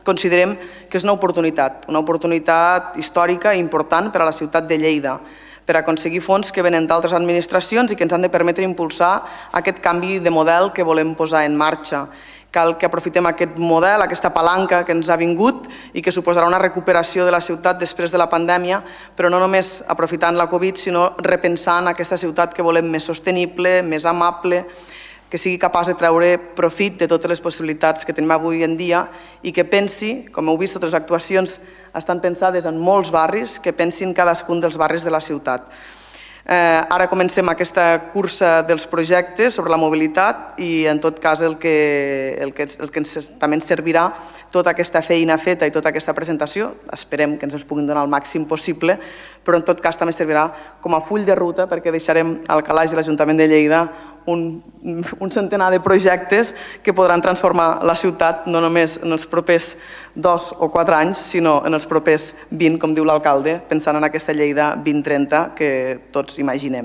considerem que és una oportunitat històrica i important per a la ciutat de Lleida, per aconseguir fons que venen d'altres administracions i que ens han de permetre impulsar aquest canvi de model que volem posar en marxa. Cal que aprofitem aquest model, aquesta palanca que ens ha vingut i que suposarà una recuperació de la ciutat després de la pandèmia, però no només aprofitant la Covid, sinó repensant aquesta ciutat que volem més sostenible, més amable, que sigui capaç de treure profit de totes les possibilitats que tenim avui en dia i que pensi, com heu vist, totes les actuacions estan pensades en molts barris, que pensin cadascun dels barris de la ciutat. Ara comencem aquesta cursa dels projectes sobre la mobilitat i en tot cas el que també ens servirà tota aquesta feina feta i tota aquesta presentació, esperem que ens puguin donar el màxim possible, però en tot cas també servirà com a full de ruta perquè deixarem al calaix de l'Ajuntament de Lleida un centenar de projectes que podran transformar la ciutat no només en els propers 2 o 4 anys, sinó en els propers 20, com diu l'alcalde, pensant en aquesta Lleida 2030 que tots imaginem.